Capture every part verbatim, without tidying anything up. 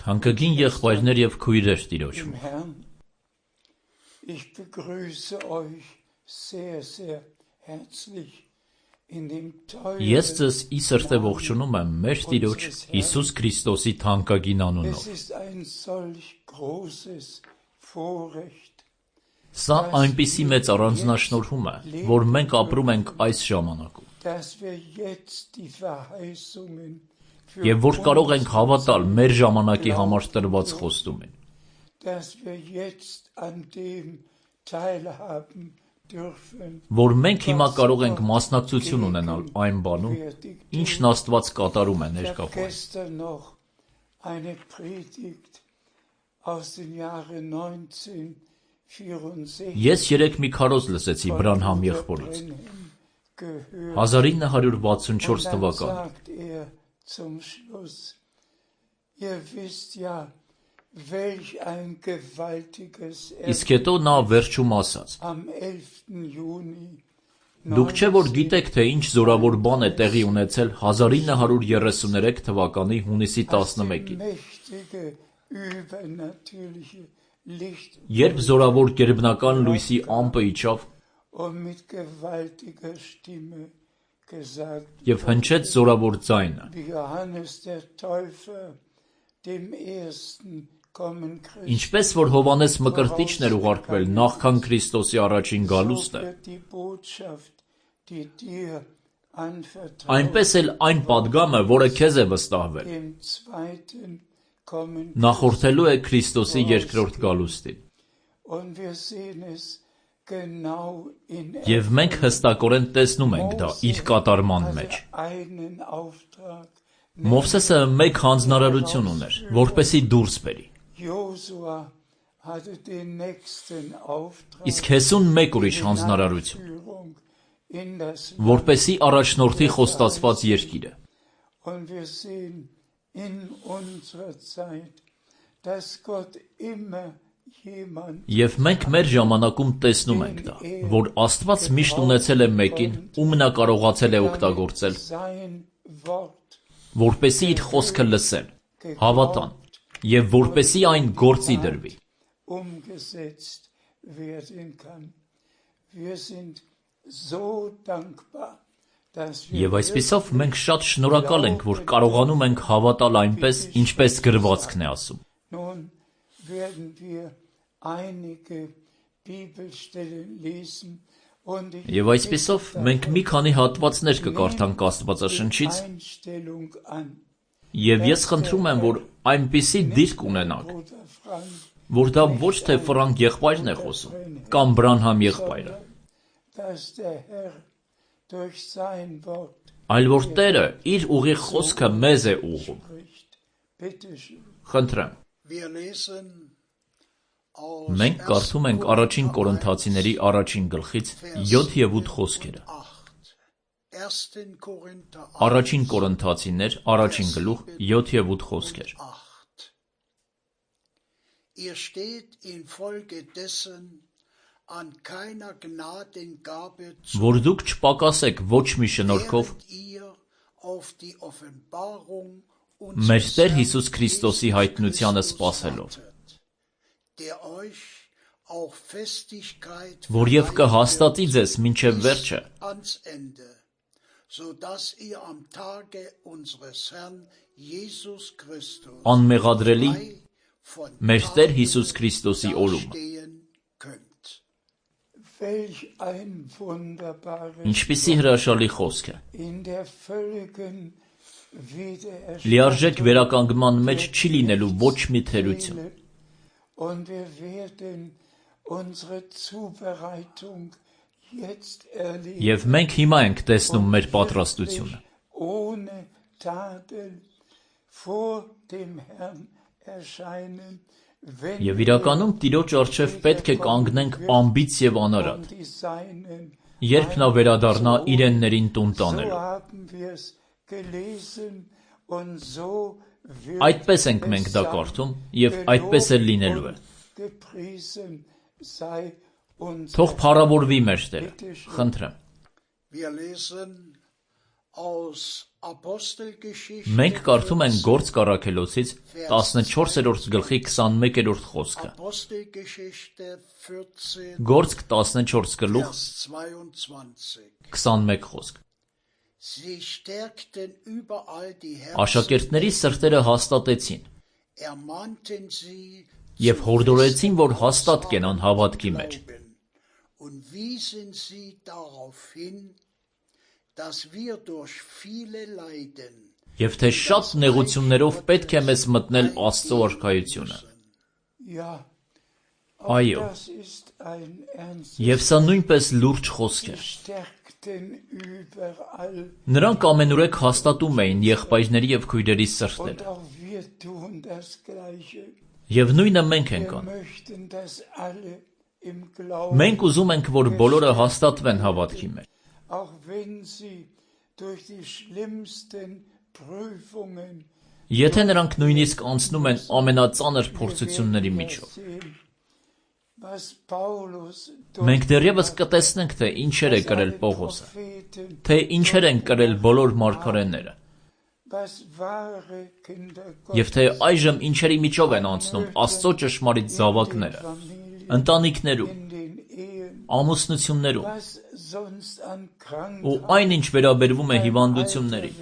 Թանկագին եղբայրներ եւ քույրեր Տիրոջում։ Ես ձեզ ի սրտե ողջունում եմ մեր Տիրոջ Հիսուս Քրիստոսի թանկագին անունով։ Սա այնպիսի մեծ առանձնաշնորհում է, որ մենք ապրում ենք այս ժամանակում։ Եվ որ կարող ենք հավատալ մեր ժամանակի համար տրված խոստումին։ Որ մենք հիմա կարող ենք մասնակցություն ունենալ այն բանում, ինչն Աստված կատարում է ներկայում։ Ես երեկ մի քարոզ լսեցի Բրանհամ եղբորից։ հազար ինը հարյուր վաթսունչորս թվականին։ Իսկ հետո նա վերջում ասաց. Դուք չէ որ գիտեք, թե ինչ զորավոր բան է տեղի ունեցել հազար ինը հարյուր երեսուներեք թվականի հունիսի տասնմեկին, երբ զորավոր գերբնական լույսի ամպը իջավ և հնչեց զորավոր ձայնը, ինչպես որ Հովհաննես Մկրտիչն էր ուղարկվել նախքան Քրիստոսի առաջին գալուստը, այնպես էլ այն պատգամը, որը քեզ է վստահվել, նախորդելու է Քրիստոսի երկրորդ գալուստին։ Եվ մենք հստակորեն տեսնում ենք դա իր կատարման մեջ։ Մովսեսը մեկ հանձնարարություն ուներ, որպեսզի դուրս բերի։ Իսկ Հեսուն մեկ ուրիշ հանձնարարություն, որպեսզի առաջնորդի խոստացված երկիրը։ Եվ մենք մեր ժամանակում տեսնում ենք դա, որ Աստված միշտ ունեցել է մեկին, ում նա կարողացել է օգտագործել, որպեսզի իր խոսքը լսեն, հավատան, և որպեսզի այն գործի դրվի։ Եվ այսպիսով մենք շատ շնորհակալ ենք, որ կարողանում ենք հավատալ այնպես, ինչպես գրվածքն է ասում։ Եվ այսպիսով մենք մի քանի հատվածներ կկարդանք Աստվածաշնչից, և ես խնդրում եմ, որ այնպիսի դիրք ունենանք, որ դա ոչ թե Ֆրանկ եղբայրն է խոսում, կամ Բրանհամ եղբայրը, այլ որ Տերը իր ուղիղ խոսքը մեզ է ուղղում։ Խնդրեմ։ Մենք կարդում ենք առաջին Կորինթացիների առաջին գլխից յոթ և ութ խոսքերը։ Առաջին Կորինթացիներ առաջին գլուխ յոթ և ութ խոսքեր։ Որ դուք չպակասեք ոչ մի շնորհքով մեր Տեր Հիսուս Քրիստոսի հայտնությանը սպասելով, որ և կհաստատի ձեզ մինչև վերջը, անմեղադրելի մեր Տեր Հիսուս Քրիստոսի օրումը։ Ինչպիսի հրաշալի խոսք է։ Լիարժեք վերականգնման մեջ չի լինելու ոչ մի թերություն։ Եվ մենք հիմա ենք տեսնում մեր պատրաստությունը։ Եվ իրականում Տիրոջ առջև պետք է կանգնենք անբիծ և անարատ, երբ նա վերադառնա իրեններին տուն տանելու։ Այդպես ենք մենք դա կարդում, և այդպես էլ լինելու է։ Թող փառավորվի մեր Տերը, խնդրեմ։ Մենք կարդում ենք Գործք առաքելոցից տասնչորսերորդ գլխի քսանմեկերորդ խոսքը։ Գործք տասնչորս գլուխ քսանմեկ խոսք։ Աշակերտների սրտերը հաստատեցին և հորդորեցին, որ հաստատ կենան հավատքի մեջ։ Եվ թե շատ նեղություններով պետք է մեզ մտնել Աստծո արքայությունը։ Այո, և սա նույնպես լուրջ խոսք էր։ Նրանք ամենուրեք հաստատում էին եղբայրների և քույրերի սրտերը։ Եվ նույնը մենք ենք անում։ Մենք ուզում ենք, որ բոլորը հաստատվեն հավատքի մեջ։ Եթե նրանք նույնիսկ անցնում են ամենածանր փորձությունների միջով։ Մենք դեռևս կտեսնենք, թե ինչեր է կրել Պողոսը, թե ինչեր են կրել բոլոր մարգարեները, և թե այժմ ինչերի միջով են անցնում Աստծո ճշմարիտ զավակները, ընտանիքներում, ամուսնություններում, ու այն, ինչ վերաբերվում է հիվանդություններին,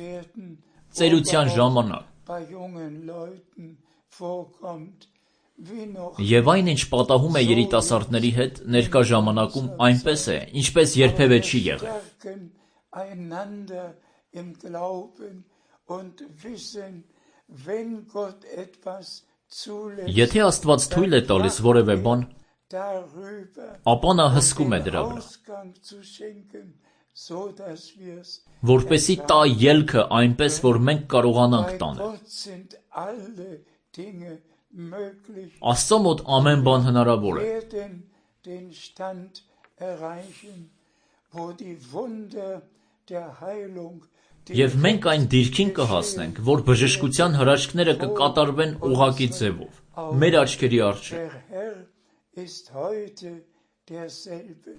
ծերության ժամանակ, և այն, ինչ պատահում է երիտասարդների հետ ներկա ժամանակում, այնպես է, ինչպես երբևէ չի եղել։ Եթե Աստված թույլ է տալիս որևէ բան, ապա նա հսկում է դրա վրա, որպեսզի տա ելքը այնպես, որ մենք կարողանանք տանել։ Աստծո մոտ ամեն բան հնարավոր է։ Եվ մենք այն դիրքին կհասնենք, որ բժշկության հրաշքները կկատարվեն ուղղակի ձևով, մեր աչքերի առջև։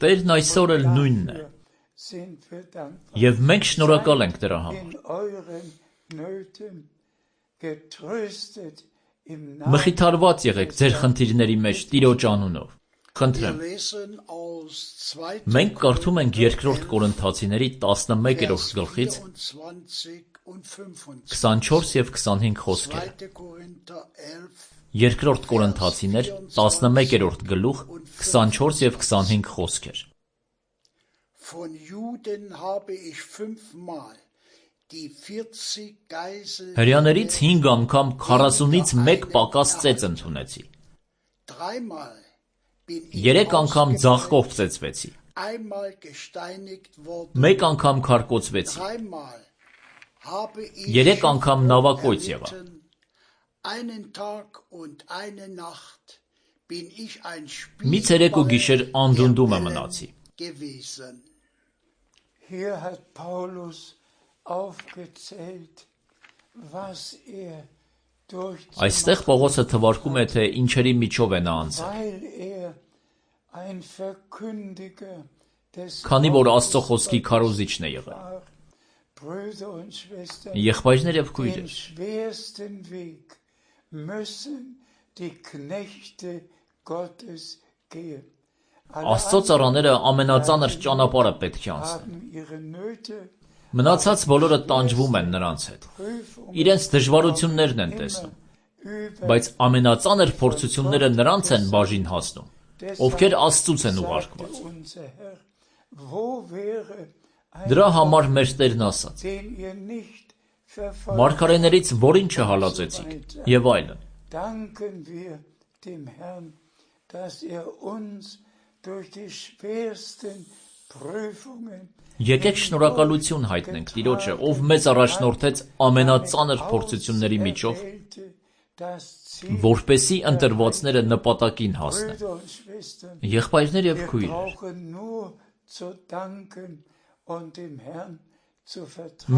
Տերն այսօր էլ նույնն է, և մենք շնորհակալ ենք դրա համար։ Մխիթարված եղեք ձեր խնդիրների մեջ Տիրոջ անունով։ Խնդրեմ։ Մենք կարդում ենք Երկրորդ Կորինթացիների տասնմեկերորդ գլխից քսանչորս և քսանհինգ խոսքերը։ Երկրորդ Կորինթացիներ տասնմեկերորդ գլուխ քսանչորս և քսանհինգ խոսքեր։ Հրեաներից հինգ անգամ քառասունից մեկ պակաս ծեծ ընդունեցի։ Երեք անգամ ձաղկով ծեծվեցի։ Մեկ անգամ քարկոծվեցի։ Երեք անգամ նավակոյծ եղա։ Մի ցերեկ ու գիշեր անդունդում մնացի։ Այստեղ Պողոսը թվարկում է, թե ինչերի միջով է նա անցել։ Քանի որ Աստծո խոսքի քարոզիչն է եղել։ Եղբայրներ և քույրեր, Աստծո ծառաները ամենածանր ճանապարհը պետք է անցնեն։ Մնացած բոլորը տանջվում են նրանց հետ, իրենց դժվարություններն են տեսնում, բայց ամենածանր փորձությունները նրանց են բաժին հասնում, ովքեր Աստծուց են ուղարկված։ Դրա համար մեր Տերն ասաց. «Մարգարեներից որին չհալածեցիք» և այլն։ Եկեք շնորհակալություն հայտնենք Տիրոջը, ով մեզ առաջնորդեց ամենածանր փորձությունների միջով, որպեսզի ընտրվածները նպատակին հասնեն։ Եղբայրներ և քույրեր,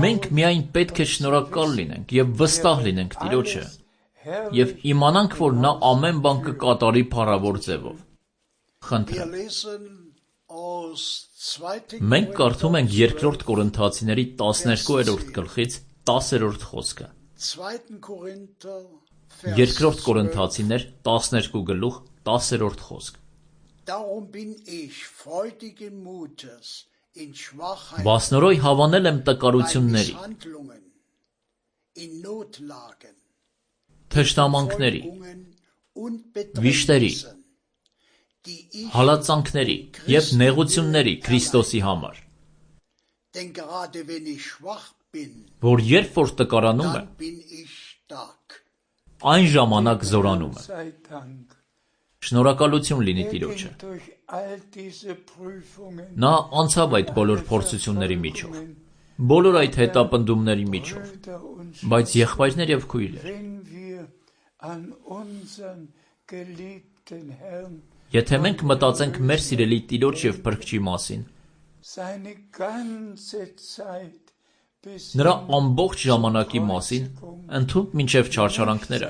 մենք միայն պետք է շնորհակալ լինենք և վստահ լինենք Տիրոջը և իմանանք, որ նա ամեն բան կկատարի փառավոր ձևով։ Խնդրեմ։ Մենք կարդում ենք երկրորդ Կորինթացիների տասներկուերորդ գլխից տասերորդ խոսքը։ Երկրորդ Կորինթացիներ տասներկու գլուխ տասերորդ խոսք։ Բասնորոյ հավանել եմ տկարությունների, թշնամանքների, վիշտերի, հալածանքների և նեղությունների Քրիստոսի համար, որ երբ որ տկարանում եմ, այն ժամանակ զորանում եմ։ Շնորհակալություն լինի Տիրոջը։ Նա անցավ այդ բոլոր փորձությունների միջով, բոլոր այդ հետապնդումների միջով, բայց եղբայրներ և քույրեր, եթե մենք մտածենք մեր սիրելի Տիրոջ և Փրկչի մասին, նրա ամբողջ ժամանակի մասին, ընդհուպ մինչև չարչարանքները,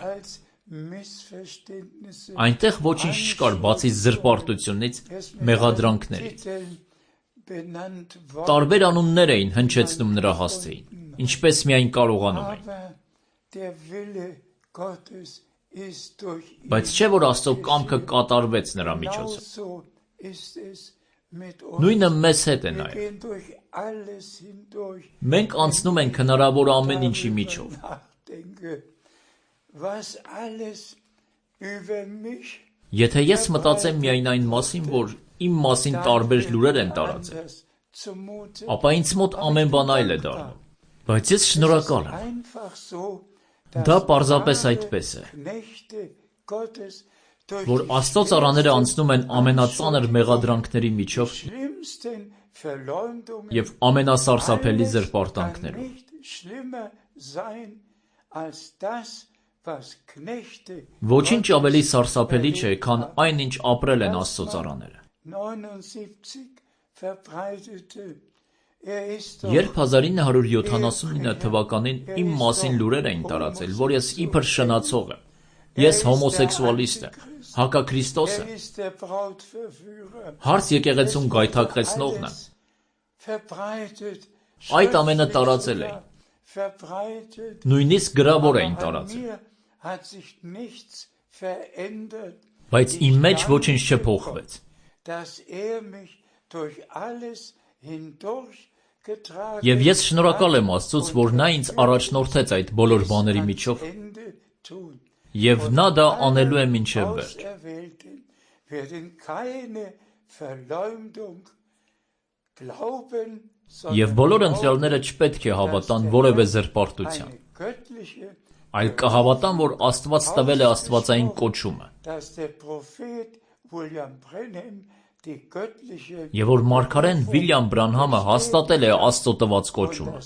այնտեղ ոչինչ չկար բացի զրպարտությունից, մեղադրանքներից։ Տարբեր անուններ էին հնչեցնում նրա հասցեին, ինչպես միայն կարողանում էին։ Բայց չէ՞ որ Աստծո կամքը կատարվեց նրա միջոցով։ Նույնը մեզ հետ է նաև։ Մենք անցնում ենք հնարավոր ամեն ինչի միջով։ Եթե ես մտածեմ միայն այն մասին, որ իմ մասին տարբեր լուրեր են տարածել, ապա ինձ մոտ ամեն բան այլ է դառնում։ Բայց ես շնորհակալ եմ։ Դա պարզապես այդպես է, որ Աստծո ծառաները անցնում են ամենածանր մեղադրանքների միջով և ամենասարսափելի զրպարտանքներով։ Ոչինչ ավելի սարսափելի չէ, քան այն, ինչ ապրել են Աստծո ծառաները։ Երբ հազար ինը հարյուր յոթանասունինը թվականին իմ մասին լուրեր էին տարածել, որ ես իբր շնացող եմ, ես հոմոսեքսուալիստ եմ, հակաքրիստոս եմ, հարց եկեղեցուն գայթակղեցնողն եմ, այդ ամենը տարածել էին, նույնիսկ գրավոր էին տարածել, բայց իմ մեջ ոչինչ չփոխվեց։ Եվ ես շնորհակալ եմ Աստծուց, որ նա ինձ առաջնորդեց այդ բոլոր բաների միջով, և նա դա անելու է մինչև վերջ։ Եվ բոլոր ընտրյալները չպետք է հավատան որևէ զրպարտության, այլ կհավատան, որ Աստված տվել է աստվածային կոչումը, և որ մարգարեն Վիլյամ Բրանհամը հաստատել է Աստծո տված կոչումը,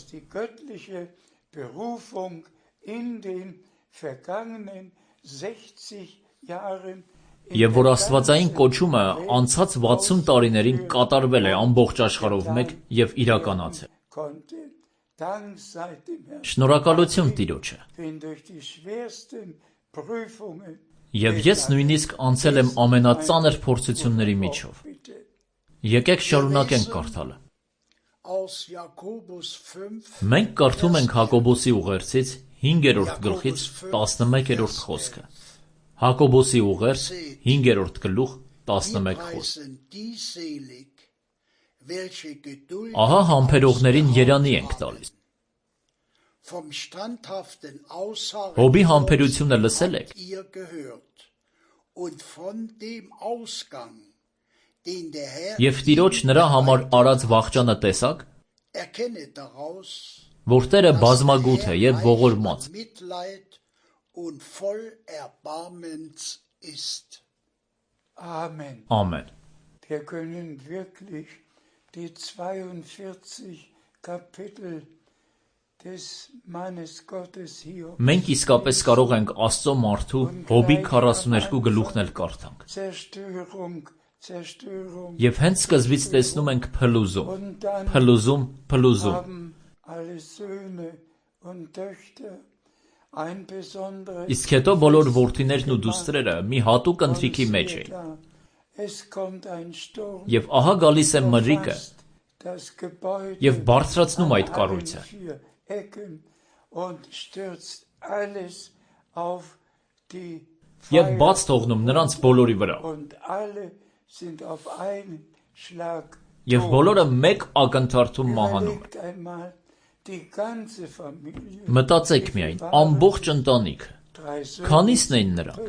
և որ աստվածային կոչումը անցած վաթսուն տարիներին կատարվել է ամբողջ աշխարհով մեկ և իրականացել։ Շնորհակալություն Տիրոջը։ Եվ ես նույնիսկ անցել եմ ամենածանր փորձությունների միջով։ Եկեք շարունակենք կարդալը։ Մենք կարդում ենք Հակոբոսի ուղերձից հինգերորդ գլխից տասնմեկերորդ խոսքը։ Հակոբոսի ուղերձ հինգերորդ գլուխ տասնմեկ խոսք։ Ահա համբերողներին երանի ենք տալիս։ Հոբի համբերությունը լսել եք։ Եվ Տիրոջ նրա համար արած վախճանը տեսա՞ք, որ Տերը բազմագութ է և ողորմած։ Ամեն։ Մենք իսկապես կարող ենք Աստծո մարդու Հոբի քառասուներկու գլուխն էլ կարդանք։ Եվ հենց սկզբից տեսնում ենք փլուզում, փլուզում, փլուզում։ Իսկ հետո բոլոր որդիներն ու դուստրերը մի հատուկ ընթրիքի մեջ էին։ Եվ ահա գալիս է մրրիկը և բարձրացնում այդ կառույցը և բաց թողնում նրանց բոլորի վրա, և բոլորը մեկ ակնթարթում մահանում են։ Մտածեք միայն, ամբողջ ընտանիքը, քանի՞սն էին նրանք,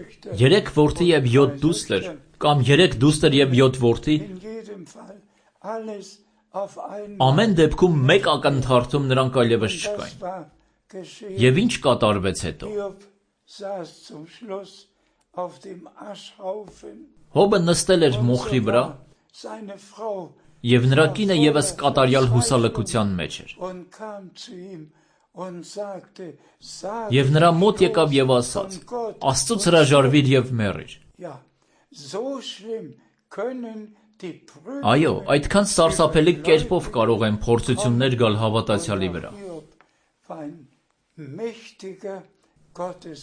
երեք որդի և յոթ դուստր, կամ երեք դուստր և յոթ որդի, ամեն դեպքում մեկ ակնթարթում նրանք այլևս չկային։ Եվ ինչ կատարվեց հետո։ Հոբը նստել էր մոխրի վրա, և նրա կինը ևս կատարյալ հուսալքության մեջ էր։ Եվ նրա մոտ եկավ և ասաց. «Աստծուց հրաժարվիր և մեռիր»։ Այո, այդքան սարսափելի կերպով կարող են փորձություններ գալ հավատացյալի վրա։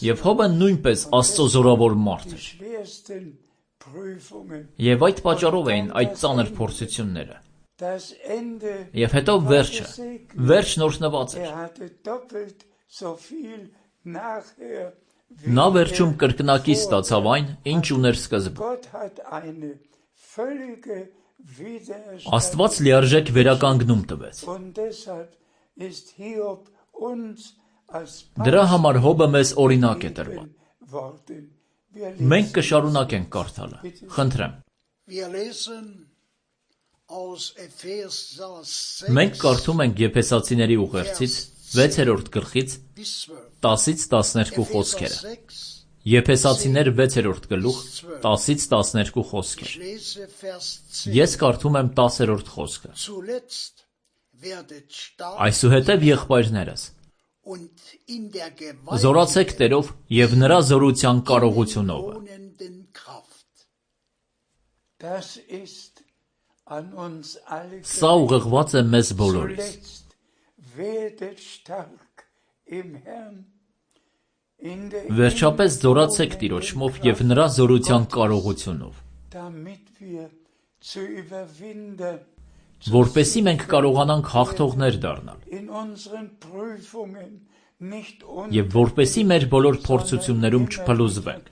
Եվ Հոբը նույնպես Աստծո զորավոր մարդ էր։ Եվ այդ պատճառով էին այդ ծանր փորձությունները։ Եվ հետո վերջը, վերջն օրհնված էր։ Նա վերջում կրկնակի ստացավ այն, ինչ ուներ սկզբում։ Աստված լիարժեք վերականգնում տվեց։ Դրա համար Հոբը մեզ օրինակ է տրվել։ Մենք կշարունակենք կարդալը, խնդրեմ։ Մենք կարդում ենք Եփեսացիների ուղերձից վեցերորդ գլխից տասից տասներկու խոսքերը։ Եփեսացիներ վեցերորդ գլուխ տասից տասներկու խոսքեր։ Ես կարդում եմ տասերորդ խոսքը։ Այսուհետև եղբայրներս, զորացեք Տերով և նրա զորության կարողությունով։ Սա ուղղված է մեզ բոլորիս։ Վերջապես զորացեք Տիրոջմով և նրա զորության կարողությունով, որպեսզի մենք կարողանանք հաղթողներ դառնալ և որպեսզի մեր բոլոր փորձություններում չփլուզվենք,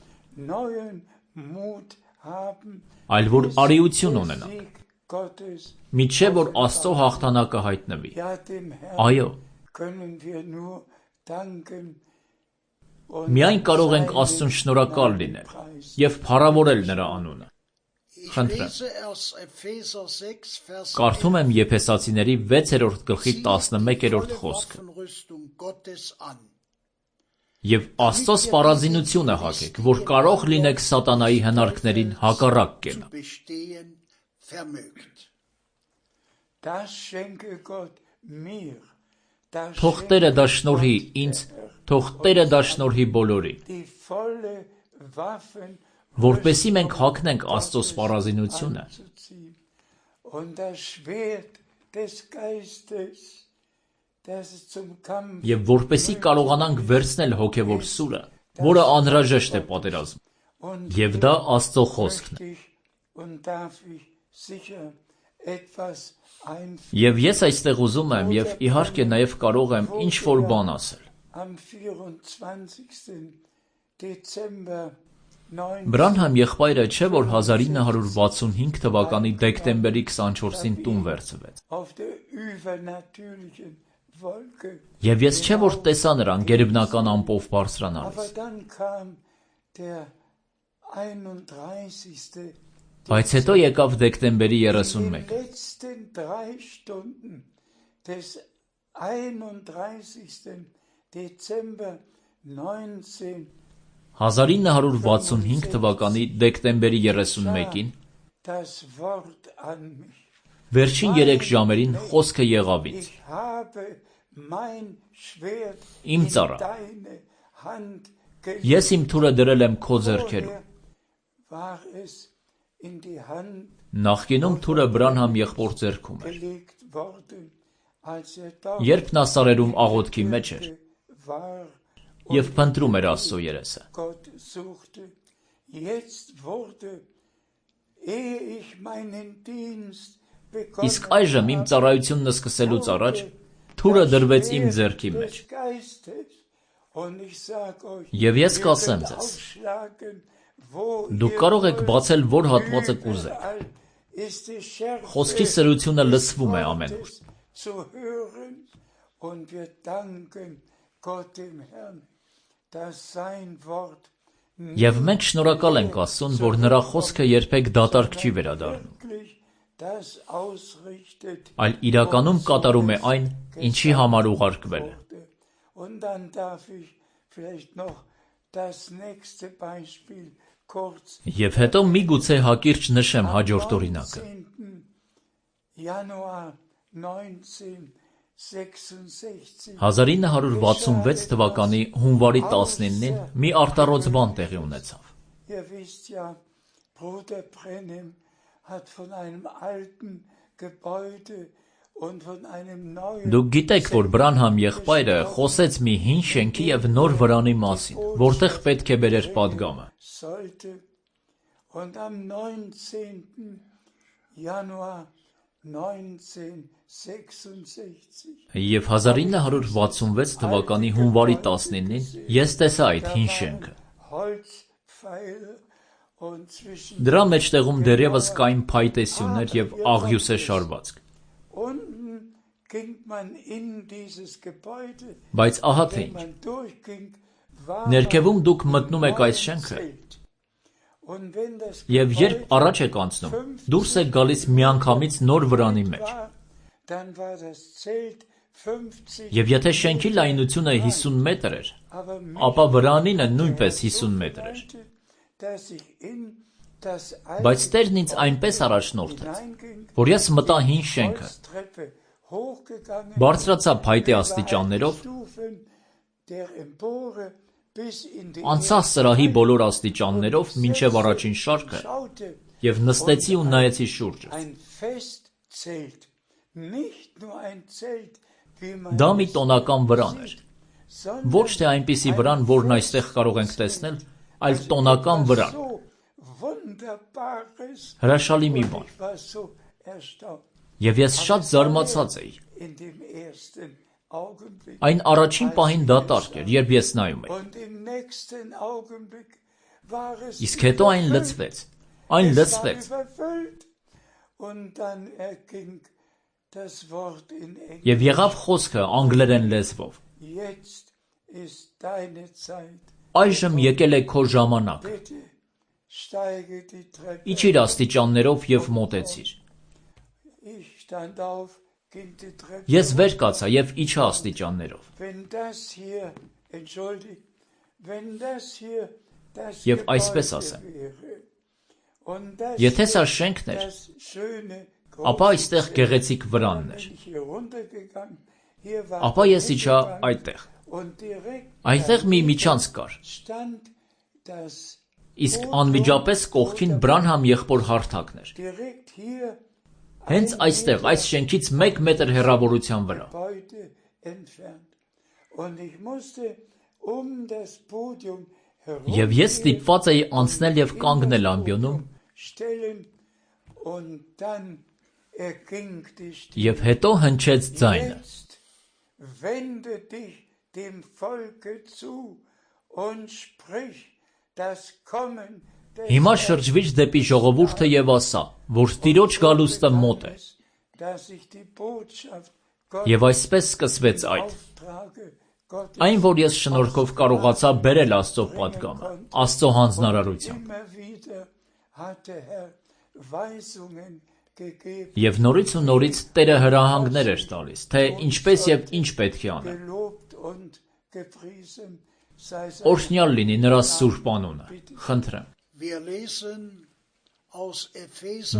այլ որ արիություն ունենանք, մինչև որ Աստծո հաղթանակը հայտնվի։ Այո, միայն կարող ենք Աստծուն շնորհակալ լինել և փառավորել նրա անունը։ Խնդրեմ։ Կարդում եմ Եփեսացիների վեցերորդ գլխի տասնմեկերորդ խոսքը։ Եվ Աստծո սպառազինությունը հագեք, որ կարող լինեք սատանայի հնարքներին հակառակ կենալ։ Թող Տերը դա շնորհի ինձ, թող Տերը դա շնորհի բոլորին, որպեսզի մենք հագնենք Աստծո սպառազինությունը և որպեսզի կարողանանք վերցնել հոգևոր սուրը, որը անհրաժեշտ է պատերազմում, և դա Աստծո խոսքն է։ Եվ ես այստեղ ուզում եմ և իհարկե նաև կարող եմ ինչ-որ բան ասել։ Բրանհամ եղբայրը չէ՞ որ հազար ինը հարյուր վաթսունհինգ թվականի դեկտեմբերի քսանչորսին տուն վերցվեց։ Եվ ես չէ՞ որ տեսա նրան գերբնական ամպով բարձրանալիս։ Բայց հետո եկավ դեկտեմբերի երեսունմեկը։ Հազար ինը հարյուր վաթսունհինգ թվականի դեկտեմբերի երեսունմեկին վերջին երեք ժամերին խոսքը եղավ ինձ. Իմ ծառա, ես իմ թուրը դրել եմ քո ձեռքերում։ Նախկինում թուրը Բրանհամ եղբոր ձեռքում էր։ Երբ նա սարերում աղոթքի մեջ էր և փնտրում էր Աստծո երեսը։ Իսկ այժմ իմ ծառայությունն սկսելուց առաջ թուրը դրվեց իմ ձեռքի մեջ։ Եվ ես կասեմ ձեզ. դուք կարող եք բացել որ հատվածը կուզեք։ Խոսքի սրությունը լսվում է ամենուր։ Եվ մենք շնորհակալ ենք Աստծուն, որ նրա խոսքը երբեք դատարկ չի վերադառնում, այլ իրականում կատարում է այն, ինչի համար ուղարկվել է։ Եվ հետո միգուցե հակիրճ նշեմ հաջորդ օրինակը։ հազար ինը հարյուր վաթսունվեց թվականի հունվարի տասնինին մի արտառոց բան տեղի ունեցավ։ Դուք գիտեք, որ Բրանհամ եղբայրը խոսեց մի հին շենքի և նոր վրանի մասին, որտեղ պետք է բերեր պատգամը։ Եվ հազար ինը հարյուր վաթսունվեց թվականի հունվարի տասնինին ես տեսա այդ հին շենքը։ Դրա մեջտեղում դեռևս կային փայտե սյուներ և աղյուսե շարվածք։ Բայց ահա թե ինչ։ Ներքևում դուք մտնում եք այս շենքը, և երբ առաջ եք անցնում, դուրս եք գալիս միանգամից նոր վրանի մեջ։ Եվ եթե շենքի լայնությունը հիսուն մետր էր, ապա վրանինը նույնպես հիսուն մետր էր։ Բայց Տերն ինձ այնպես առաջնորդեց, որ ես մտա հին շենքը, բարձրացա փայտե աստիճաններով, անցա սրահի բոլոր աստիճաններով մինչև առաջին շարքը և նստեցի ու նայեցի շուրջս։ Դա մի տոնական վրան էր, ոչ թե այնպիսի վրան, որն այստեղ կարող ենք տեսնել, այլ տոնական վրան, հրաշալի մի բան։ Եվ ես շատ զարմացած էի։ Այն առաջին պահին դատարկ էր, երբ ես նայում էի։ Իսկ հետո այն լցվեց, այն լցվեց։ Եվ եղավ խոսքը անգլերեն լեզվով. այժմ եկել է քո ժամանակը։ Իջիր աստիճաններով և մոտեցիր։ Ես վեր կացա և իջա աստիճաններով։ Եվ այսպես ասեմ. եթե սա շենքն էր, ապա այստեղ գեղեցիկ վրանն էր։ Ապա ես իջա այդտեղ։ Այնտեղ մի միջանցք կար։ Իսկ անմիջապես կողքին Բրանհամ եղբոր հարթակն էր։ Հենց այստեղ, այս շենքից մեկ մետր հեռավորության վրա։ Եվ ես ստիպված էի անցնել և կանգնել ամբիոնում, և հետո հնչեց ձայնը. հիմա շրջվիր դեպի ժողովուրդը և ասա, որ Տիրոջ գալուստը մոտ է։ Եվ այսպես սկսվեց այդ։ Այն, որ ես շնորհքով կարողացա բերել Աստծո պատգամը, Աստծո հանձնարարությամբ։ Եվ նորից ու նորից Տերը հրահանգներ էր տալիս, թե ինչպես և ինչ պետք է անել։ Օրհնյալ լինի նրա սուրբ անունը, խնդրեմ։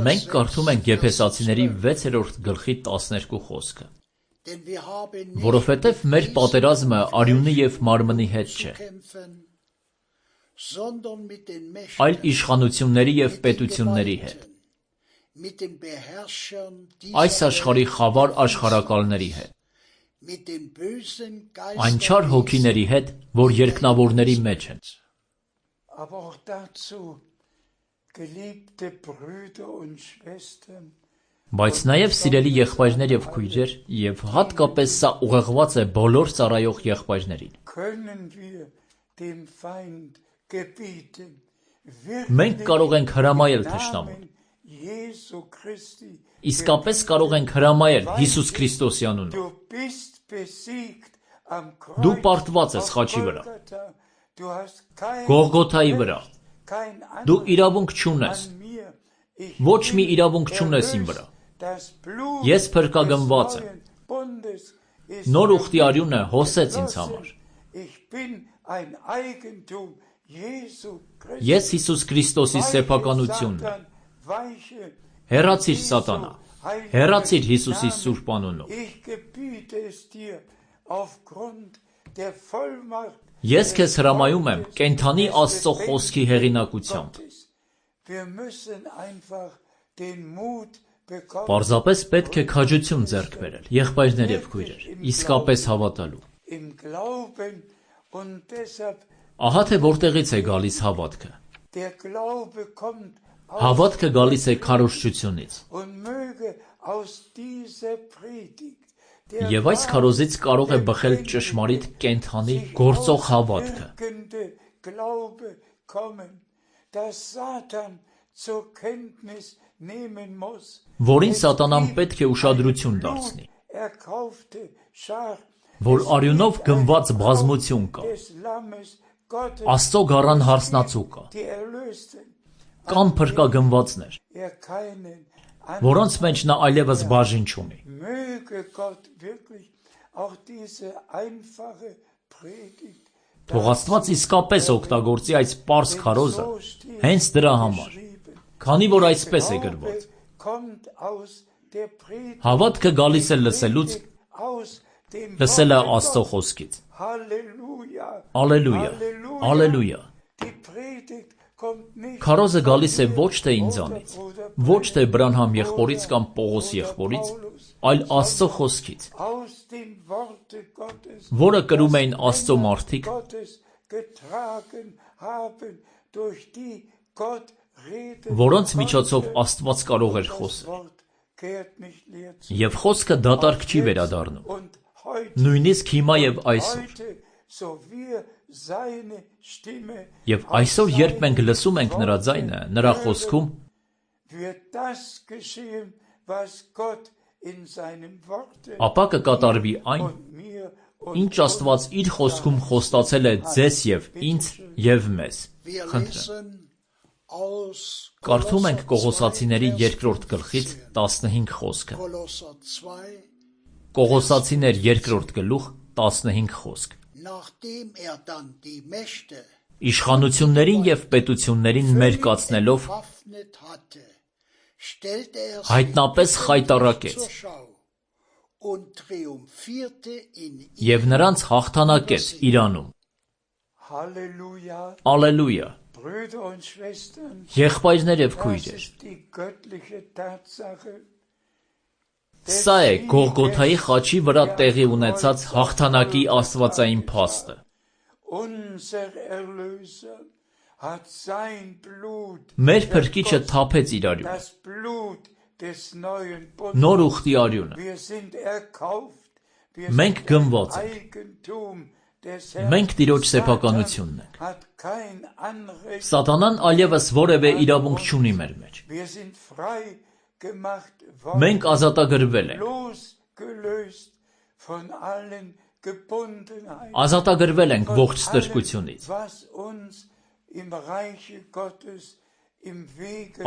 Մենք կարդում ենք Եփեսացիների վեցերորդ գլխի տասներկու խոսքը. որովհետև մեր պատերազմը արյունի և մարմնի հետ չէ, այլ իշխանությունների և պետությունների հետ, այս աշխարհի խավար աշխարհակալների հետ, այն չար հոգիների հետ, որ երկնավորների մեջ են։ Բայց նաև սիրելի եղբայրներ եւ քույրեր, եւ հատկապես սա ուղղված է բոլոր ծառայող եղբայրներին։ Մենք կարող ենք հրամայել թշնամուն։ Իսկապես կարող ենք հրամայել Հիսուս Քրիստոսի անունով։ Դու պարտված ես խաչի վրա, Գողգոթայի վրա։ Դու իրավունք չունես, ոչ մի իրավունք չունես իմ վրա։ Ես փրկագնված եմ։ Նոր ուխտի արյունը հոսեց ինձ համար։ Ես Հիսուս Քրիստոսի սեփականությունն եմ։ Հեռացիր սատանա, հեռացիր Հիսուսի սուրբ անունով։ Ես քեզ հրամայում եմ կենդանի Աստծո խոսքի հեղինակությամբ։ Պարզապես պետք է քաջություն ձեռք բերել, եղբայրներ եւ քույրեր, իսկապես հավատալու։ Ահա թե որտեղից է գալիս հավատքը։ Հավատքը գալիս է քարոզչությունից։ Եվ այս քարոզից կարող է բխել ճշմարիտ կենդանի գործող հավատքը։ Որին սատանան պետք է ուշադրություն դարձնի, որ արյունով գնված բազմություն կա, Աստծո գառան հարսնացու կա, կան փրկագնվածներ, որոնց մեջ նա այլևս բաժին չունի։ Թող Աստված իսկապես օգտագործի այս պարզ քարոզը հենց դրա համար, քանի որ այսպես է գրված. հավատքը գալիս է լսելուց, լսելը Աստծո խոսքից։ Ալելույա, ալելույա։ Քարոզը գալիս է ոչ թե ինձանից, ոչ թե Բրանհամ եղբորից կամ Պողոս եղբորից, այլ Աստծո խոսքից, որը կրում էին Աստծո մարդիկ, որոնց միջոցով Աստված կարող էր խոսել։ Եվ խոսքը դատարկ չի վերադառնում, նույնիսկ հիմա եւ այսօր։ Եվ այսօր, երբ մենք լսում ենք նրա ձայնը, նրա խոսքում, ապա կկատարվի այն, ինչ Աստված իր խոսքում խոստացել է ձեզ եւ ինձ եւ մեզ։ Խնդրեմ։ Կարդում ենք Կողոսացիների երկրորդ գլխից տասնհինգ խոսքը։ Կողոսացիներ երկրորդ գլուխ տասնհինգ խոսք։ Իշխանություններին եւ պետություններին մերկացնելով հայտնապես խայտառակեց եւ նրանց հաղթանակեց իրանում։ Ալելույա։ Եղբայրներ եւ քույրեր, սա է Գողգոթայի խաչի վրա տեղի ունեցած հաղթանակի աստվածային փաստը։ Մեր փրկիչը թափեց իր արյունը, նոր ուխտի արյունը։ Մենք գնված ենք, մենք Տիրոջ սեփականությունն ենք։ Սատանան այլևս որևէ իրավունք չունի մեր մեջ։ Մենք ազատագրվել ենք։ Ազատագրվել ենք ողջ ստրկությունից։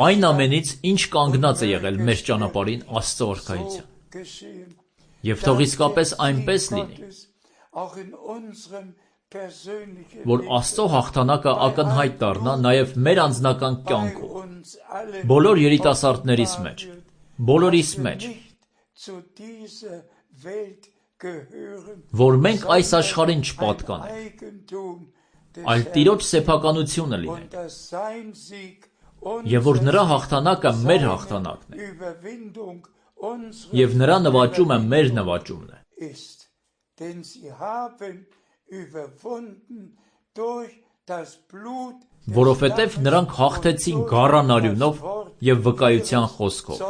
Այն ամենից, ինչ կանգնած է եղել մեր ճանապարհին Աստծո արքայության։ Եվ թող իսկապես այնպես լինի, որ Աստծո հաղթանակը ակնհայտ դառնա նաև մեր անձնական կյանքում, բոլոր երիտասարդներիս մեջ, բոլորիս մեջ, որ մենք այս աշխարհին չպատկանենք, այլ Տիրոջ սեփականությունը լինենք, եւ որ նրա հաղթանակը մեր հաղթանակն է, եւ նրա նվաճումը մեր նվաճումն է։ որովհետև նրանք հաղթեցին գառան արյունով և վկայության խոսքով։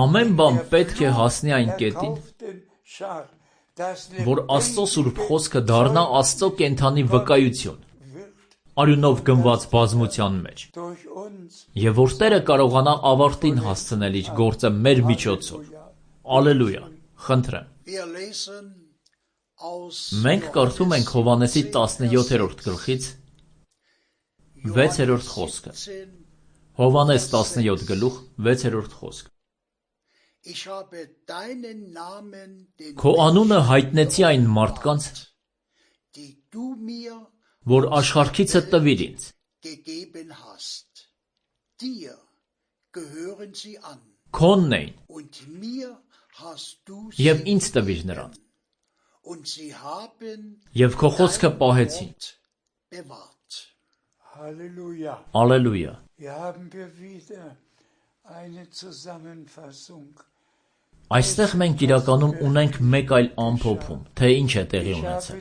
Ամեն բան պետք է հասնի այն կետին, որ Աստծո սուրբ խոսքը դառնա Աստծո կենդանի վկայություն, արյունով գնված բազմության մեջ, և որ Տերը կարողանա ավարտին հասցնել իր գործը մեր միջոցով։ Ալելույա, խնդրեմ։ Մենք կարդում ենք Հովհաննեսի տասնյոթերորդ գլխից վեցերորդ խոսքը։ Հովհաննես տասնյոթ գլուխ վեցերորդ խոսք։ Քո անունը հայտնեցի այն մարդկանց, որ աշխարհքիցը տվիր ինձ։ Քոնն էին, և ինձ տվիր նրանց, և քո խոսքը պահեցին։ Ալելույա։ Այստեղ մենք իրականում ունենք մեկ այլ ամփոփում, թե ինչ է տեղի ունեցել։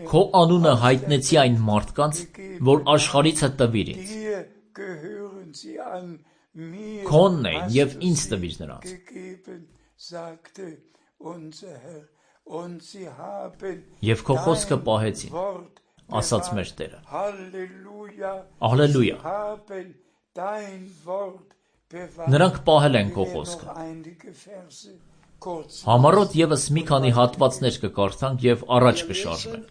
Քո անունը հայտնեցի այն մարդկանց, որ աշխարհիցը տվիր ինձ։ Քոնն էին, և ինձ տվիր նրանց, և քո խոսքը պահեցին, ասաց մեր Տերը։ Ալելույա։ Նրանք պահել են քո խոսքը։ Համառոտ ևս մի քանի հատվածներ կկարդանք և առաջ կշարժվենք։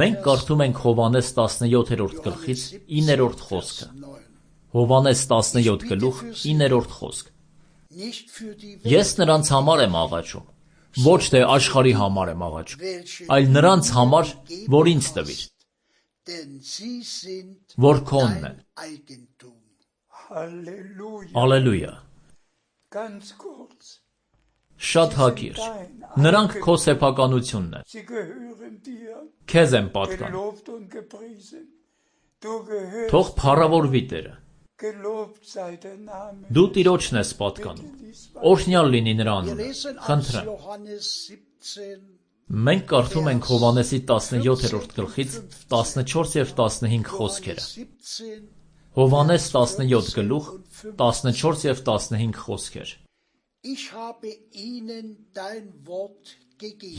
Մենք կարդում ենք Հովհաննես տասնյոթերորդ գլխից իններորդ խոսքը։ Հովհաննես տասնյոթ գլուխ իններորդ խոսք։ Ես նրանց համար եմ աղաչում, ոչ թե աշխարհի համար եմ աղաչում, այլ նրանց համար, որ ինձ տվիր, որ քոնն են։ Ալելույա։ Շատ հակիրճ, նրանք քո սեփականությունն են, քեզ են պատկանում։ Թող փառավորվի Տերը։ Դու Տիրոջն ես պատկանում, օրհնյալ լինի նրա անունը, խնդրեմ։ Մենք կարդում ենք Հովհաննեսի տասնյոթերորդ գլխից տասնչորս և տասնհինգ խոսքերը։ Հովհաննես տասնյոթ գլուխ տասնչորս և տասնհինգ խոսքեր։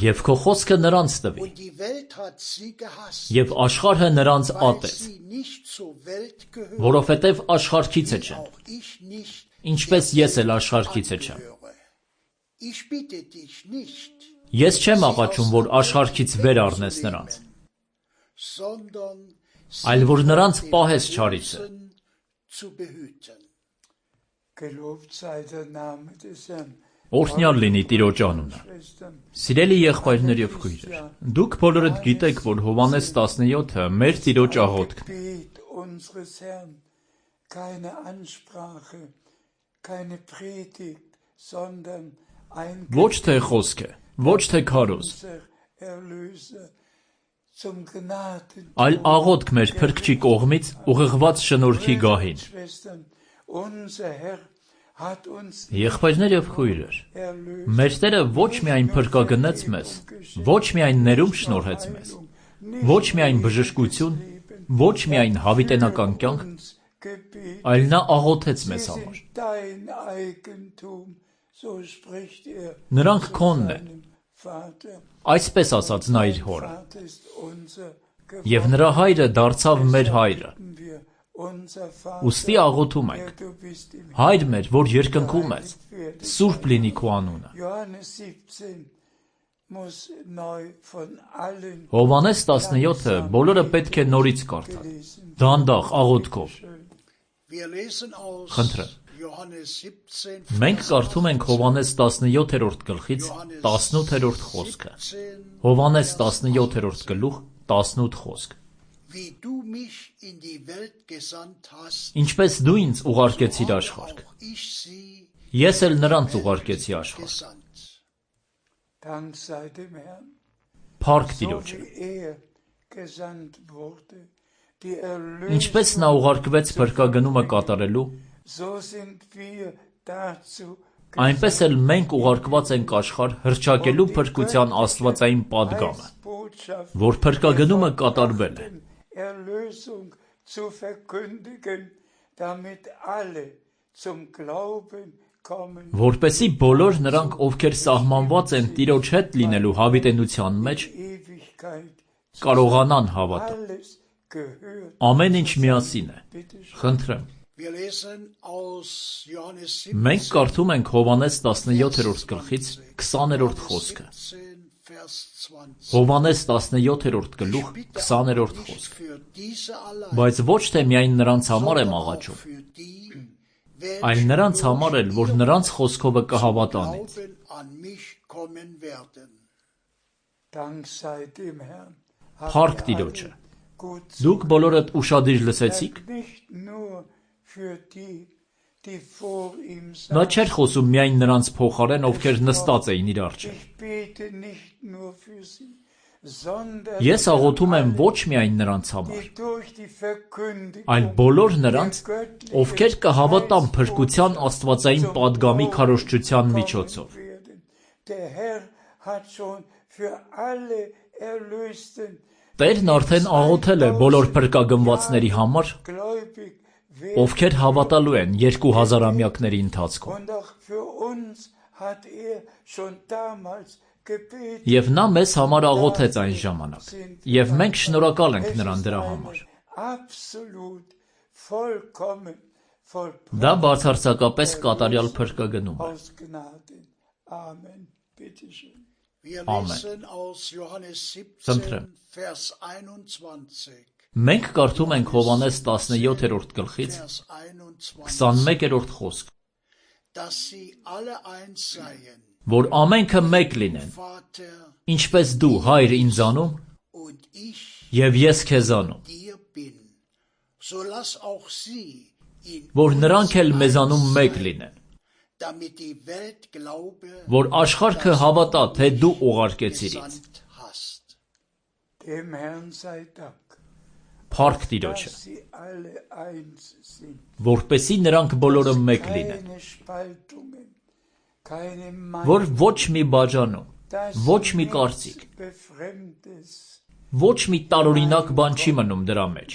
Եվ քո խոսքը նրանց տվի, և աշխարհը նրանց ատեց, որովհետև աշխարհքիցը չեն, ինչպես ես էլ աշխարհքիցը չեմ։ Ես չեմ աղաչում, որ աշխարհքից վեր առնես նրանց, այլ որ նրանց պահես չարիցը։ Օրհնյալ լինի Տիրոջ անունը։ Սիրելի եղբայրներ և քույրեր, դուք բոլորդ գիտեք, որ Հովհաննես տասնյոթը մեր Տիրոջ աղոթքն է։ Ոչ թե խոսք է, ոչ թե քարոզ, այլ աղոթք մեր Փրկչի կողմից ուղղված շնորհքի գահին։ Եղբայրներ և քույրեր, մեր Տերը ոչ միայն փրկագնեց մեզ, ոչ միայն ներում շնորհեց մեզ, ոչ միայն բժշկություն, ոչ միայն հավիտենական կյանք, այլ նա աղոթեց մեզ համար։ Նրանք քոնն են, այսպես ասաց նա իր հորը, և նրա հայրը դարձավ մեր հայրը։ Ուստի աղոթում ենք. Հայր մեր, որ երկնքում ես, սուրբ լինի քո անունը։ Հովհաննես տասնյոթը բոլորը պետք է նորից կարդալ, դանդաղ աղոթքով։ Խնդրեմ։ Մենք կարդում ենք Հովհաննես տասնյոթերորդ գլխից տասնութերորդ խոսքը։ Հովհաննես տասնյոթերորդ գլուխ տասնութ խոսք։ Ինչպես դու ինձ ուղարկեցիր աշխարհ, ես էլ նրանց ուղարկեցի աշխարհ։ Փառք Տիրոջը։ Ինչպես նա ուղարկվեց փրկագնումը կատարելու, այնպես էլ մենք ուղարկված ենք աշխարհ հռչակելու փրկության աստվածային պատգամը, որ փրկագնումը կատարվել է։ Որպեսզի բոլոր նրանք, ովքեր սահմանված են Տիրոջ հետ լինելու հավիտենության մեջ, կարողանան հավատալ։ Ամեն ինչ միասին է։ Խնդրեմ։ Մենք կարդում ենք Հովհաննես տասնյոթերորդ գլխից քսաներորդ խոսքը։ Հովհաննես տասնյոթերորդ գլուխ քսաներորդ խոսք։ Բայց ոչ թե միայն նրանց համար եմ աղաչում, այլ նրանց համար էլ, որ նրանց խոսքովը կհավատան ինձ։ Փառք Տիրոջը։ Դուք բոլորդ ուշադիր լսեցիք։ Նա չէր խոսում միայն նրանց փոխարեն, ովքեր նստած էին իր առջև։ Ես աղոթում եմ ոչ միայն նրանց համար, այլ բոլոր նրանց, ովքեր կհավատան փրկության աստվածային պատգամի քարոզչության միջոցով։ Տերն արդեն աղոթել է բոլոր փրկագնվածների համար, ովքեր հավատալու են երկու հազարամյակների ընթացքում։ Եվ նա մեզ համար աղոթեց այն ժամանակ, և մենք շնորհակալ ենք նրան դրա համար։ Դա բացարձակապես կատարյալ փրկագնում է։ Ամեն։ Խնդրեմ։ Մենք կարդում ենք Հովհաննես տասնյոթերորդ գլխից քսանմեկերորդ խոսք, որ ամենքը մեկ լինեն, ինչպես դու, Հայր, ինձանում, և ես քեզանում, որ նրանք էլ մեզանում մեկ լինեն, որ աշխարհը հավատա, թե դու ուղարկեցիր ինձ։ Փառք Տիրոջը, որպեսզի նրանք բոլորը մեկ լինեն, որ ոչ մի բաժանում, ոչ մի կարծիք, ոչ մի տարօրինակ բան չի մնում դրա մեջ,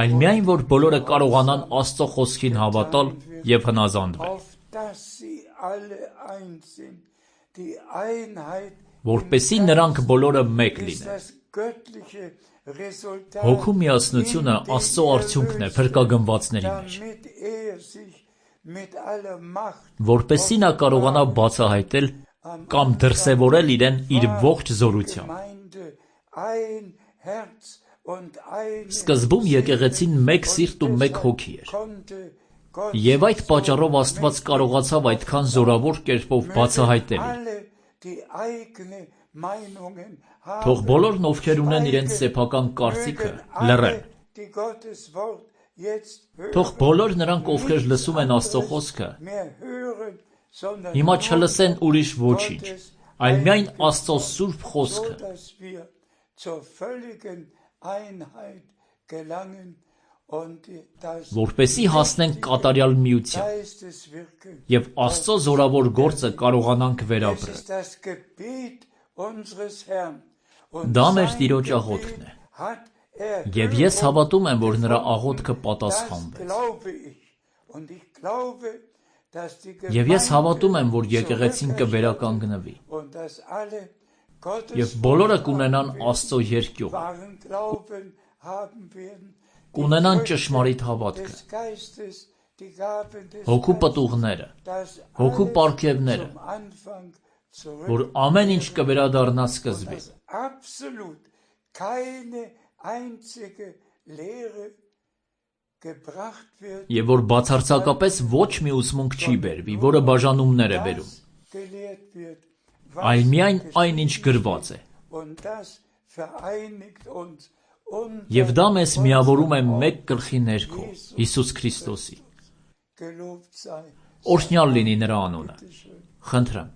այլ միայն որ բոլորը կարողանան Աստծո խոսքին հավատալ և հնազանդվել, որպեսզի նրանք բոլորը մեկ լինեն։ Հոգու միասնությունը Աստծո արդյունքն է փրկագնվածների մեջ, որպեսզի նա կարողանա բացահայտել կամ դրսևորել իրեն իր ողջ զորությամբ։ Սկզբում եկեղեցին մեկ սիրտ ու մեկ հոգի էր, և այդ պատճառով Աստված կարողացավ այդքան զորավոր կերպով բացահայտել իր։ Թող բոլորն, ովքեր ունեն իրենց սեփական կարծիքը, լռեն։ Թող բոլոր նրանք, ովքեր լսում են Աստծո խոսքը, հիմա չլսեն ուրիշ ոչինչ, այլ միայն Աստծո սուրբ խոսքը, որպեսզի հասնենք կատարյալ միության և Աստծո զորավոր գործը կարողանանք վերապրել։ Դա մեր Տիրոջ աղոթքն է, և ես հավատում եմ, որ նրա աղոթքը պատասխանվեց։ Եվ ես հավատում եմ, որ եկեղեցին կվերականգնվի, և բոլորը կունենան Աստծո երկյուղը, կունենան ճշմարիտ հավատքը, հոգու պտուղները, հոգու պարգևները, որ ամեն ինչ կվերադառնա սկզբին։ Եվ որ բացարձակապես ոչ մի ուսմունք չի բերվի, որը բաժանումներ է բերում, այլ միայն այն, ինչ գրված է։ Եվ դա մեզ միավորում է մեկ գլխի ներքո, Հիսուս Քրիստոսի։ Օրհնյալ լինի նրա անունը։ Խնդրեմ։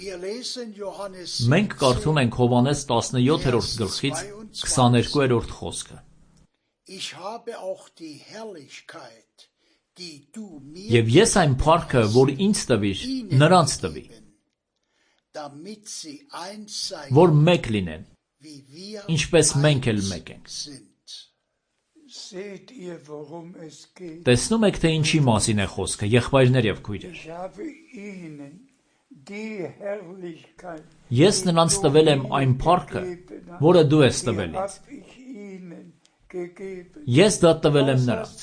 Մենք կարդում ենք Հովհաննես տասնյոթերորդ գլխից քսաներկուերորդ խոսքը. Եվ ես այն փառքը, որ ինձ տվիր, նրանց տվի, որ մեկ լինեն, ինչպես մենք էլ մեկ ենք։ Տեսնում եք, թե ինչի մասին է խոսքը, եղբայրներ և քույրեր։ Ես նրանց տվել եմ այն փառքը, որը դու ես տվել ինձ։ Ես դա տվել եմ նրանց։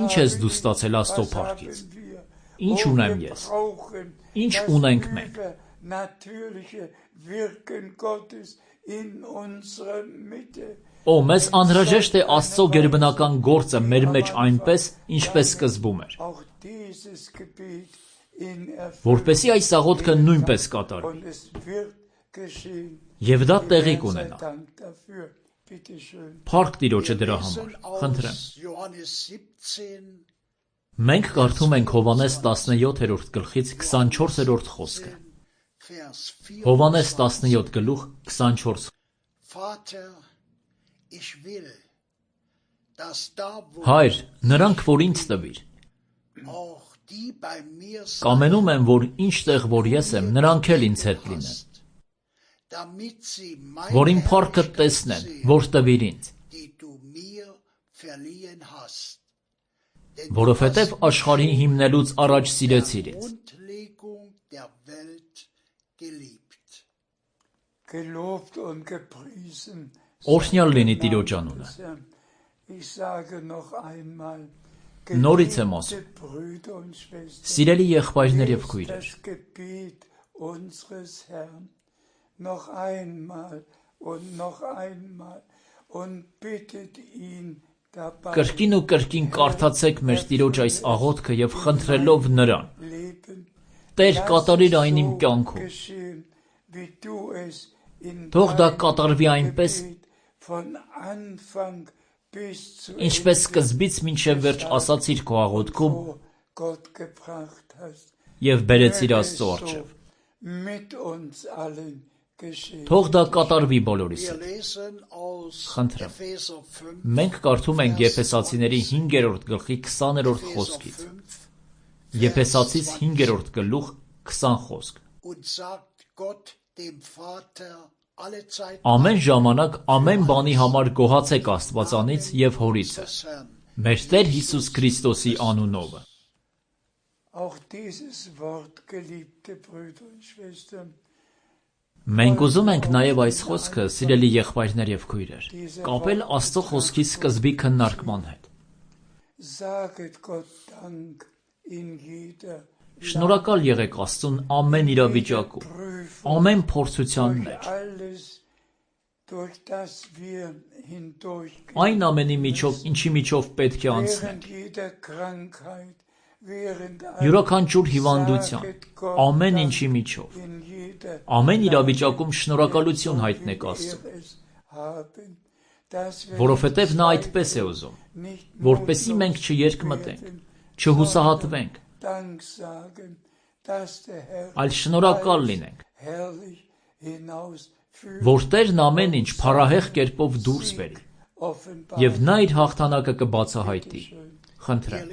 Ինչ ես դու ստացել Աստծո փառքից։ Ինչ ունեմ ես։ Ինչ ունենք մենք։ Օ, մեզ անհրաժեշտ է Աստծո գերբնական գործը մեր մեջ այնպես, ինչպես սկզբում էր, որպեսզի այս աղոթքը նույնպես կատարվի, և դա տեղի կունենա։ Փառք Տիրոջը դրա համար, խնդրեմ։ Մենք կարդում ենք Հովհաննես տասնյոթերորդ գլխից քսանչորսերորդ խոսքը։ Հովհաննես տասնյոթ գլուխ քսանչորս։ Հայր, նրանք, որ ինձ տվիր, կամենում եմ, որ ինչտեղ որ ես եմ, նրանք էլ ինձ հետ լինեն, որ իմ փառքը տեսնեն, որ տվիր ինձ, որովհետև աշխարհի հիմնելուց առաջ սիրեցիր ինձ։ Օրհնյալ լինի Տիրոջ անունը։ Նորից եմ ասում, սիրելի եղբայրներ և քույրեր, կրկին ու կրկին կարդացեք մեր Տիրոջ այս աղոթքը և խնդրելով Նրան. Տեր, կատարիր այն իմ կյանքում։ Թող դա կատարվի այնպես, ինչպես սկզբից մինչև վերջ ասացիր քո աղոթքում և բերեցիր Աստծո առջև։ Թող դա կատարվի բոլորիս հետ։ Խնդրեմ։ Մենք կարդում ենք Եփեսացիների հինգերորդ գլխի քսաներորդ խոսքից։ Եփեսացիս հինգերորդ գլուխ քսան խոսք։ Ամեն ժամանակ ամեն բանի համար գոհացեք Աստվածանից և Հորիցը, մեր Տեր Հիսուս Քրիստոսի անունովը։ Մենք ուզում ենք նաև այս խոսքը, սիրելի եղբայրներ և քույրեր, կապել Աստծո խոսքի սկզբի քննարկման հետ։ Շնորհակալ եղեք Աստծուն ամեն իրավիճակում, ամեն փորձության մեջ։ Այն ամենի միջով, ինչի միջով պետք է անցնենք։ Յուրաքանչյուր հիվանդության, ամեն ինչի միջով, ամեն իրավիճակում շնորհակալություն հայտնեք Աստծուն, որովհետև նա այդպես է ուզում, որպեսզի մենք չերկմտենք, չհուսահատվենք, այլ շնորհակալ լինենք, որ Տերն ամեն ինչ փառահեղ կերպով դուրս բերի, և նա իր հաղթանակը կբացահայտի։ Խնդրեմ։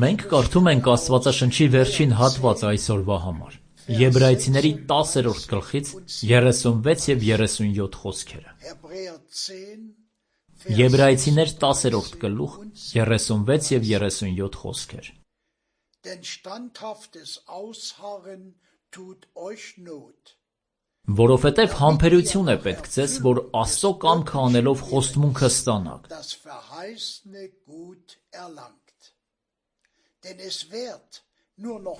Մենք կարդում ենք Աստվածաշնչի վերջին հատվածը այսօրվա համար։ Եբրայեցիների տասերորդ գլխից երեսունվեց և երեսունյոթ խոսքերը։ Եբրայեցիներ տասերորդ գլուխ երեսունվեց և երեսունյոթ խոսքեր։ Որովհետև համբերություն է պետք ձեզ, որ Աստծո կամքը անելով խոստմունքը ստանաք։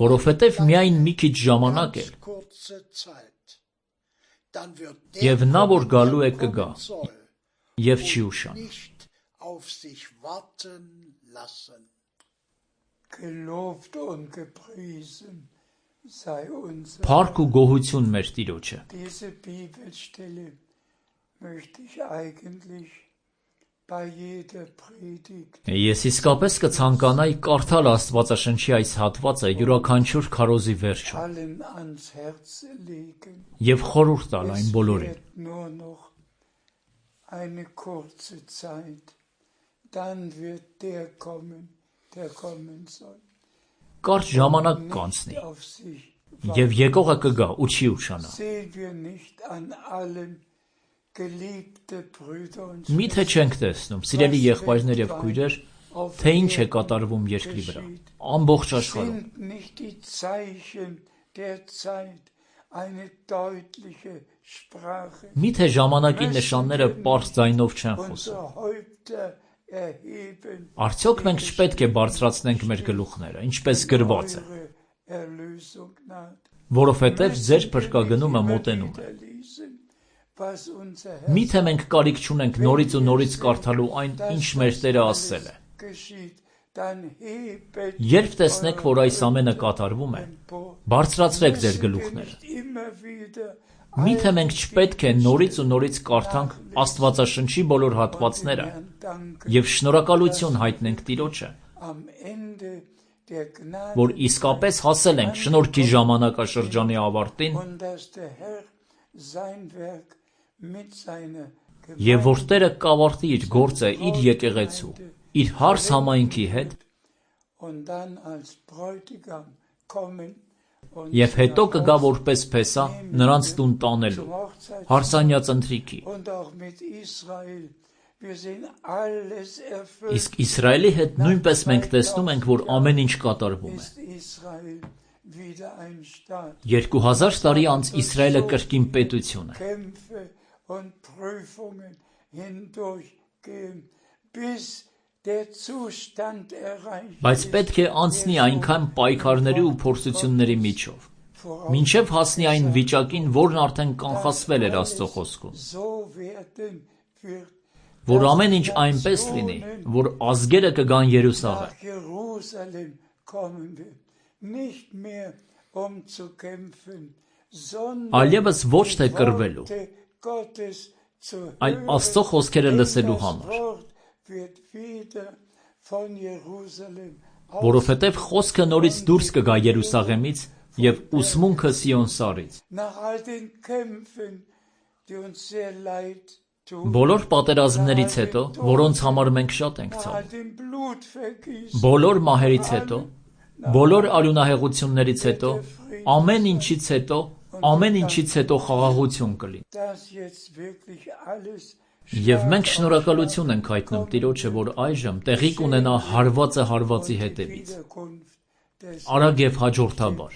Որովհետև միայն մի քիչ ժամանակ է, և նա, որ գալու է, կգա, և չի ուշանա։ Փառք ու գոհություն մեր Տիրոջը։ Ես իսկապես կցանկանայի կարդալ Աստվածաշնչի այս հատվածը յուրաքանչյուր քարոզի վերջում և խորհուրդ տալ այն բոլորին։ Կարճ ժամանակ կանցնի, և եկողը կգա ու չի ուշանա։ Միթե չենք տեսնում, սիրելի եղբայրներ և քույրեր, թե ինչ է կատարվում երկրի վրա, ամբողջ աշխարհում։ Միթե ժամանակի նշանները պարզ ձայնով չեն խոսում։ Արդյոք մենք չպետք է բարձրացնենք մեր գլուխները, ինչպես գրված է, որովհետև ձեր փրկագնումը մոտենում է։ Միթե մենք կարիք չունենք նորից ու նորից կարդալու այն, ինչ մեր Տերը ասել է։ Երբ տեսնեք, որ այս ամենը կատարվում է, բարձրացրեք ձեր գլուխները։ Միթե մենք չպետք է նորից ու նորից կարդանք Աստվածաշնչի բոլոր հատվածները և շնորհակալություն հայտնենք Տիրոջը, որ իսկապես հասել ենք շնորհքի ժամանակաշրջանի ավարտին և որ Տերը կավարտի իր գործը իր եկեղեցու, իր հարս համայնքի հետ և հետո կգա որպես փեսա նրանց տուն տանելու, հարսանյաց ընթրիքի։ Իսկ Իսրայելի հետ նույնպես մենք տեսնում ենք, որ ամեն ինչ կատարվում է։ Երկու հազար տարի անց Իսրայելը կրկին պետություն է։ Բայց պետք է անցնի այնքան պայքարների ու փորձությունների միջով, մինչև հասնի այն վիճակին, որն արդեն կանխատեսվել էր Աստծո խոսքում, որ ամեն ինչ այնպես լինի, որ ազգերը կգան Երուսաղեմ։ Այլևս ոչ թե կռվելու, այլ Աստծո խոսքերը լսելու համար, որովհետև խոսքը նորից դուրս կգա Երուսաղեմից և ուսմունքը Սիոն սարից։ Բոլոր պատերազմներից հետո, որոնց համար մենք շատ ենք ցավում, բոլոր մահերից հետո, բոլոր արյունահեղություններից հետո, ամեն ինչից հետո, ամեն ինչից հետո խաղաղություն կլինի։ Եվ մենք շնորհակալություն ենք հայտնում Տիրոջը, որ այժմ տեղի կունենա հարվածը հարվածի հետևից, արագ և հաջորդաբար,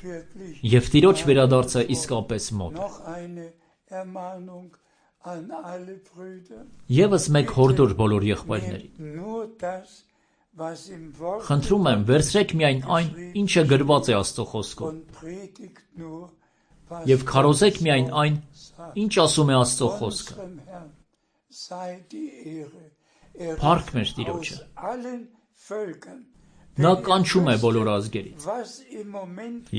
և Տիրոջ վերադարձը իսկապես մոտ է։ Եվս մեկ հորդոր բոլոր եղբայրներին։ Խնդրում եմ, վերցրեք միայն այն, ինչը գրված է Աստծո խոսքում, և քարոզեք միայն այն, ինչ ասում է Աստծո խոսքը։ Փառք մեր Տիրոջը։ Նա կանչում է բոլոր ազգերից։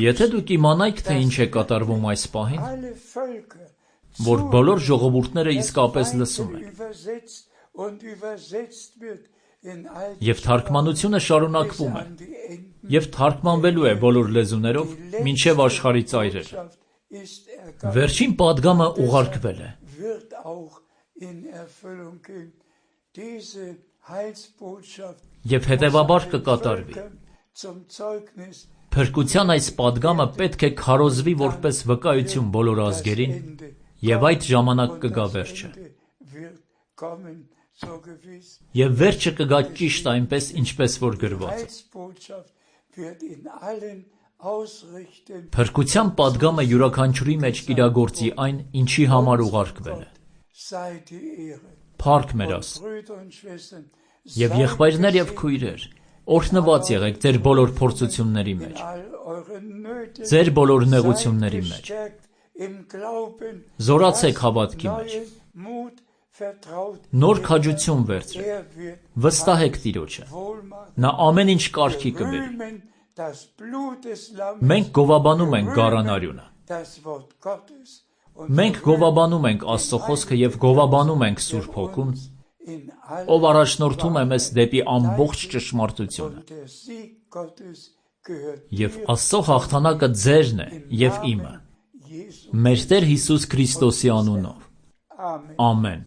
Եթե դուք իմանայիք, թե ինչ է կատարվում այս պահին, որ բոլոր ժողովուրդները իսկապես լսում են, և թարգմանությունը շարունակվում է, և թարգմանվելու է բոլոր լեզուներով մինչև աշխարհի ծայրերը։ Վերջին պատգամը ուղարկվել է։ Եվ հետևաբար կկատարվի։ Փրկության այս պատգամը պետք է քարոզվի որպես վկայություն բոլոր ազգերին, և այդ ժամանակ կգա վերջը։ Եվ վերջը կգա ճիշտ այնպես, ինչպես որ գրված է։ Փրկության պատգամը յուրաքանչյուրի մեջ կիրագործի այն, ինչի համար ուղարկվել է։ Փառք մեր Աստծուն։ Եվ եղբայրներ և քույրեր, օրհնված եղեք ձեր բոլոր փորձությունների մեջ, ձեր բոլոր նեղությունների մեջ, զորացեք հավատքի մեջ, նոր քաջություն վերցրեք, վստահեք Տիրոջը, նա ամեն ինչ կարգի կբերի։ Մենք գովաբանում ենք գառան արյունը։ Մենք գովաբանում ենք Աստծո խոսքը և գովաբանում ենք Սուրբ Հոգուն ով առաջնորդում է մեզ դեպի ամբողջ ճշմարտությունը։ Եվ Աստծո հաղթանակը ձերն է և իմը, մեր Տեր Հիսուս Քրիստոսի անունով։ Ամեն։